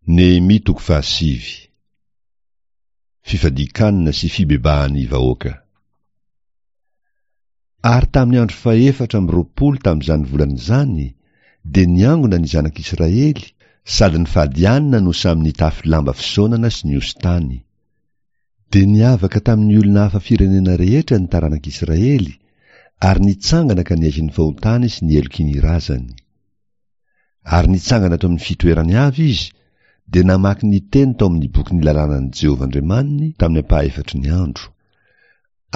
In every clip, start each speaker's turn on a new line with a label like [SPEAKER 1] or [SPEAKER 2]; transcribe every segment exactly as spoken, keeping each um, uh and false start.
[SPEAKER 1] Nehemia toko fahasivy. Fifadian-kanina sy fibebahan'ny vahoaka. Ary tamin'ny andro fahefatra amby roapolo tamin'izany volana izany, dia niangona ny zanak'Israely, sady nifady hanina no samy nitafy lamba fisaonana sy nihosin-tany. Dia niavaka tamin'ny olona hafa firenena rehetra ny taranak'Israely, ary nitsangana ka niaiky ny fahotany sy ny heloky ny razany. Ary nitsangana teo amin'ny fitoerany avy izy, dia namaky ny teny tao amin'ny bokin'ny lalànan'i Jehovah Andriamaniny tamin'ny ampahefatry ny andro.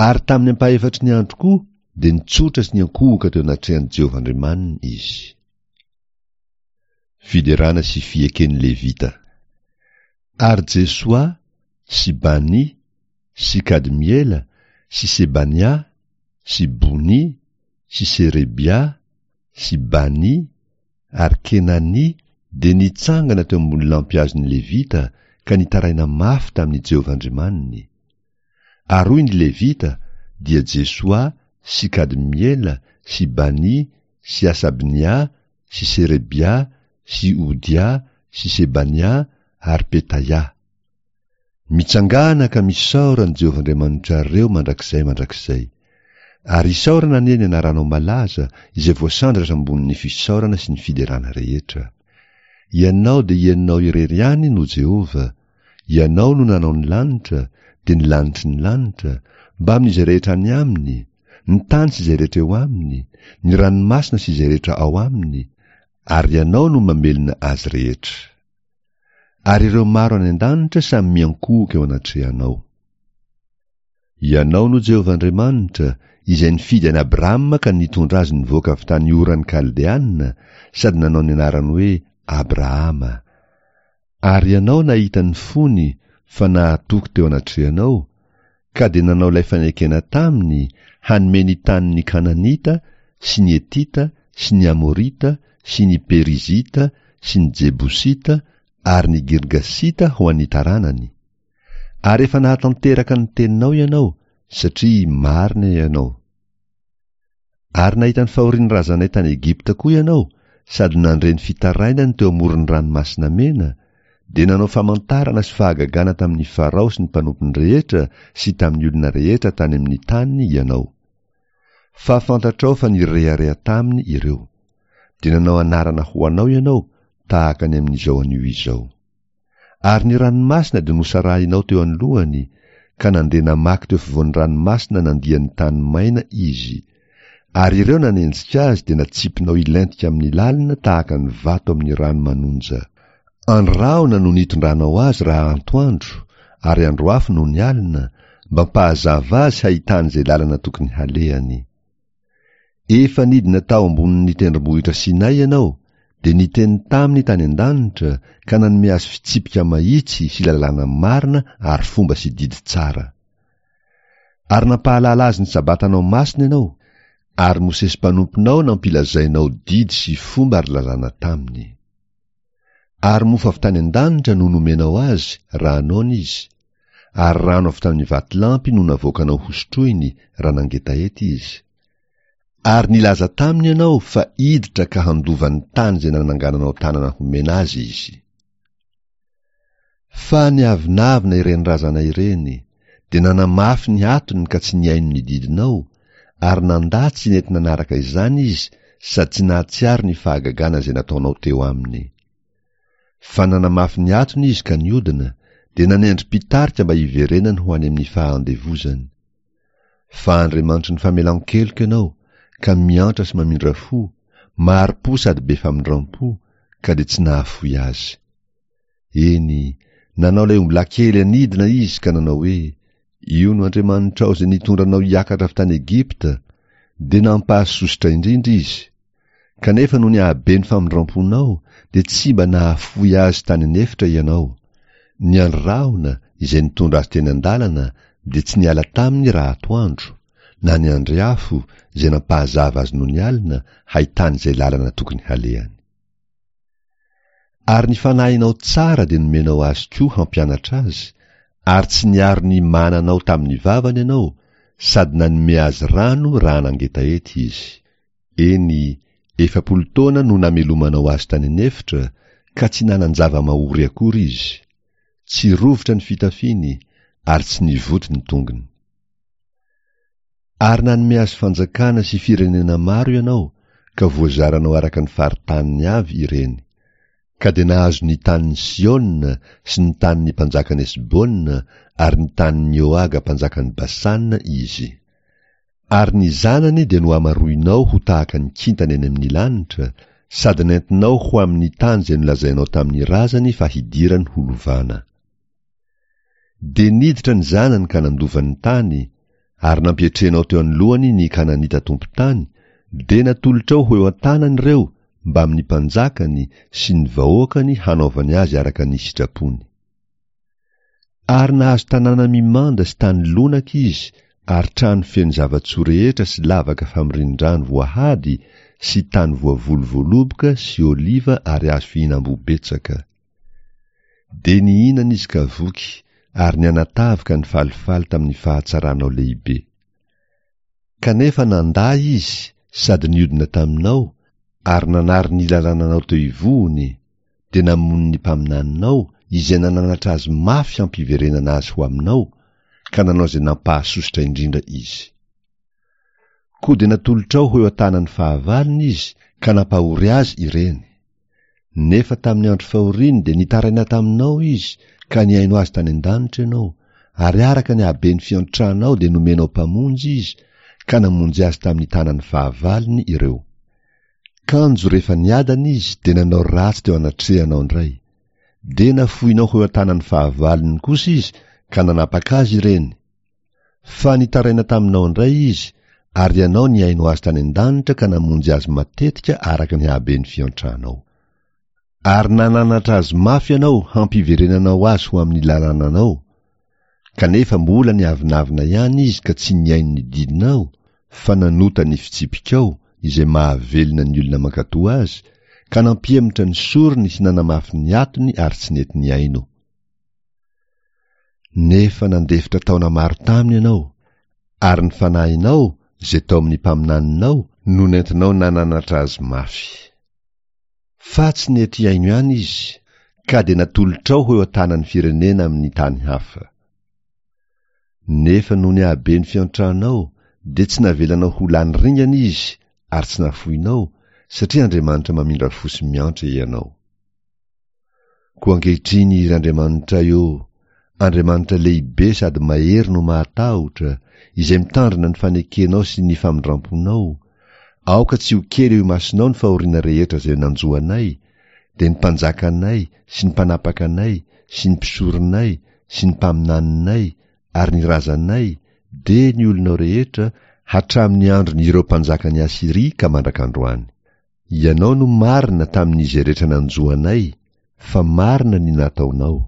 [SPEAKER 1] Ary tamin'ny ampahefatry ny andro koa dia nitsotra sy niankohoka teo anatrehan'i Jehovah Andriamaniny izy. Fiderana sy fieken'ny Levita. Ary Jesoa sy Bani sy Kadmiela sy Sebania sy Boni sy Serebia sy Bani ary Kenania dia nitsangana teo ambony lampihazon'ny Levita ka nitaraina mafy tamin'i Jehovah Andriamaniny. Ary hoy ny Levita, dia Jesoa sy Kadmiela sy Bani sy Asabnia sy Serebia sy Odia sy Sebania ary Petaia. Mitsangàna ka misaora an'i Jehovah Andriamanitrareo mandrakizay mandrakizay. Ary isaorana anie ny anaranao malaza, izay voasandratra ambonin'ny fisaorana sy ny fiderana rehetra. Ianao dia Ianao irery ihany no Jehovah, Ianao no nanao ny lanitra, dia ny lanitry ny lanitra, mbamin'izay rehetra any aminy, ny tany sy izay rehetra eo aminy, ny ranomasina sy izay rehetra ao aminy, ary Ianao no mamelona azy rehetra. Ary ireo maro any an-danitra samy miankohoka eo anatrehanao. Ianao no Jehovah Andriamanitra, izay nifidy an'i Abrama ka nitondra azy nivoaka avy tany Oran'ny Kaldeana sady nanao ny anarany hoe Abrahama. Ary Ianao nahita ny fony fa nahatoky teo anatrehanao, ka dia nanao ilay fanekena taminy hanome ny tanin'ny Kananita sy ny Hetita sy ny Amorita sy ny Perizita sy ny Jebosita ary ny Girgasita ho an'ny taranany. Ary efa nahatanteraka ny teninao Ianao, satria marina Ianao. Ary nahita ny fahorian'ny razanay tany Egypta koa Ianao, sady nandre ny fitarainany teo amoron'ny Ranomasina Mena, dia nanao famantarana sy fahagagana tamin'i Farao sy ny mpanompony rehetra sy tamin'ny olona rehetra tany amin'ny taniny Ianao. Fa fantatrao fa nirehareha taminy ireo. Dia nanao anarana ho anao Ianao, tahaka ny amin'izao anio izao. Ary ny ranomasina dia nosarahinao teo anoloany, ka nandeha namaky teo afovoan'ny ranomasina nandia ny tany maina izy. Ary ireo nanenjika azy dia natsipinao hilentika amin'ny lalina tahaka ny vato amin'ny rano manonja. Andro rahona no nitondranao azy raha antoandro, ary andro afo nony alina, mba hampahazava azy hahitany izay lalana tokony halehany. Efa nidina tao ambonin'ny tendrombohitra Sinay ianao, dia niteny taminy tany an-danitra ka nanome azy fitsipika mahitsy sy lalàna marina ary fomba sy didy tsara. Ary nampahalala azy ny Sabatanao masina ianao, ary Mosesy mpanomponao nampilazainao didy sy fomba ary lalàna taminy. Ary mofo avy tany an-danitra no nomenao azy raha noana izy, ary rano avy tamin'ny vatolampy no navoakanao hosotroiny raha nangetaheta izy. Ary nilaza taminy ianao fa hiditra ka handova ny tany izay nanangananao tanana homena azy izy. Fa niavonavona ireny razana ireny, dia nanamafy ny hatony ka tsy nihaino ny didinao, ary nandà tsy nety nanaraka izany izy sady tsy nahatsiaro ny fahagagana izay nataonao teo aminy. Fa nanamafy ny hatony izy ka niodina, dia nanendry mpitarika mba hiverenany ho any amin'ny fahandevozany. Fa Andriamanitry ny famelan-keloka ianao, ka miantra sy mamindra fo, mahari-po sady be famindram-po, ka dia tsy nahafoy azy. Eny, nanao ilay ombilahy kely anidina izy ka nanao hoe, Io no Andriamanitrao izay nitondra anao hiakatra avy tany Egypta, dia nampahasosotra indrindra izy. Kanefa noho ny hahabe ny famindram-ponao, dia tsy mba nahafoy azy tany an'efitra ianao. Ny andry rahona, izay nitondra azy teny an-dalana, dia tsy niala taminy raha atoandro, na ny andry afo, izay nampahazava azy nony alina, hahitany izay lalana tokony halehany. Ary ny fanahinao tsara dia nomenao azy koa hampianatra azy, ary tsy niaro ny mananao tamin'ny vavany ianao, sady nanome azy rano raha nangetaheta izy. Eny, efapolo taona no namelomanao azy tany an'efitra, ka tsy nanan-java-mahory akory izy. Tsy rovitra ny fitafiany, ary tsy nivoty ny tongony. Ary nanome azy fanjakana sy firenena maro ianao, ka voazaranao araka ny faritaniny avy ireny. Ka dia nahazo ny tanin'i Siôna sy ny tanin'ny mpanjakan'i Esbôna ary ny tanin'i Ôaga mpanjakan'i Basàna izy. Ary ny zanany dia nohamaroinao ho tahaka ny kintana eny amin'ny lanitra, sady nentinao ho amin'ny tany izay nolazainao tamin'ny razany fa hidirany ho lovana. Dia niditra ny zanany ka nandova ny tany, ary nampietrenao teo anoloany ny Kananita tompon-tany, dia natolotrao ho eo an-tanany ireo mbamin'ny mpanjakany sy ny vahoakany hanaovany azy araka ny sitrapony. Ary nahazo tanàna mimanda sy tany lonaka izy ary trano feno zava-tsoa rehetra sy lavaka famorian-drano voahady sy tany voavoly voaloboka sy oliva ary azo fihinam-boa betsaka. Dia nihinana izy ka voky ary nianatavy ka nifalifaly tamin'ny fahatsaranao lehibe. Kanefa nandà izy sady niodina taminao ary nanary ny lalànanao teo ivohony, dia namono ny mpaminaninao izay nananatra azy mafy hampiverenana azy ho aminao, ka nanao izay nampahasosotra indrindra izy. Koa dia natolotrao ho eo an-tanan'ny fahavalony izy ka nampahory azy ireny. Nefa tamin'ny andro fahoriany dia nitaraina taminao izy ka nihaino azy tany an-danitra ianao, ary araka ny haben'ny fiantranao dia nomenao mpamonjy izy ka namonjy azy tamin'ny tanan'ny fahavalony ireo. Kanjo rehefa niadana izy dia nanao ratsy teo anatrehanao indray. Dia nafoinao ho eo an-tanan'ny fahavalony kosa izy ka nanapaka azy ireny. Fa nitaraina taminao indray izy, ary ianao nihaino azy tany an-danitra ka namonjy azy matetika araka ny haben'ny fiantranao. Ary nananatra azy mafy ianao hampiverenanao azy ho amin'ny lalànanao, kanefa mbola niavonavona ihany izy ka tsy nihaino ny didinao, fa nanota ny fitsipikao izay mahavelona ny olona mankatò azy, ka nampihemotra ny sorony sy nanamafy ny atony ary tsy nety nihaino. Nefa nandefitra taona maro taminy ianao, ary ny fanahinao izay tao amin'ny mpaminaninao no nentinao nananatra azy mafy. Fa tsy nety hihaino ihany izy, ka dia natolotrao ho eo an-tanan'ny firenena amin'ny tany hafa. Nefa noho ny haben'ny fiantranao, dia tsy navelanao ho lany ringana izy ary tsy nafoinao, satria Andriamanitra mamindra fo sy miantra ianao. Koa ankehitriny, ry Andriamanitray ô, Andriamanitra lehibe sady mahery no mahatahotra, izay mitandrina ny fanekenao sy ny famindramponao, aoka tsy ho kely eo imasonao ny fahoriana rehetra izay nanjo anay, dia ny mpanjakanay sy ny mpanapaka anay sy ny mpisoronay sy ny mpaminaninay ary ny razanay, dia ny olonao rehetra, hatramin'ny andron'ireo mpanjakan'i Asyria ka mandrak'androany. Ianao no marina tamin'izay rehetra nanjo anay, fa marina ny nataonao,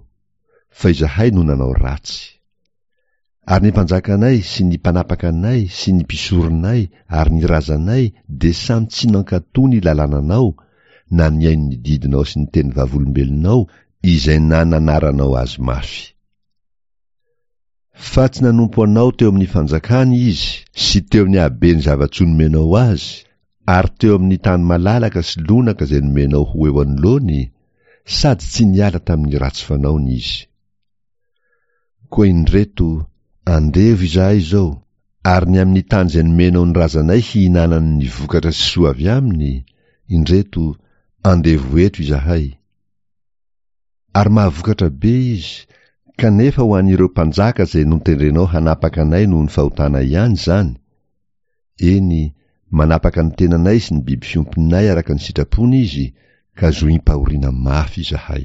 [SPEAKER 1] fa izahay no nanao ratsy. Ary ny mpanjakanay sy ny mpanapaka anay sy ny mpisoronay ary ny razanay dia samy tsy nankatò ny lalànanao na nihaino ny didinao sy ny teny vavolombelonao izay nananaranao azy mafy. Fa tsy nanompo anao teo amin'ny fanjakany izy sy teo amin'ny haben'ny zava-tsoa nomenao azy, ary teo amin'ny tany malalaka sy lonaka izay nomenao ho eo anoloany, sady tsy niala tamin'ny ratsy fanaony izy. Koa indreto, andevo izahay izao, ary ny amin'ny tany izay nomenao ny razanay hihinanany ny vokatra sy soa avy aminy, indreto, andevo eto izahay. Ary mahavokatra be izy, kanefa ho an'ireo mpanjaka izay notendrenao hanapaka anay noho ny fahotanay ihany izany. Eny, manapaka ny tenanay sy ny biby fiompinay araka ny sitrapony izy, ka zohim-pahoriana mafy izahay.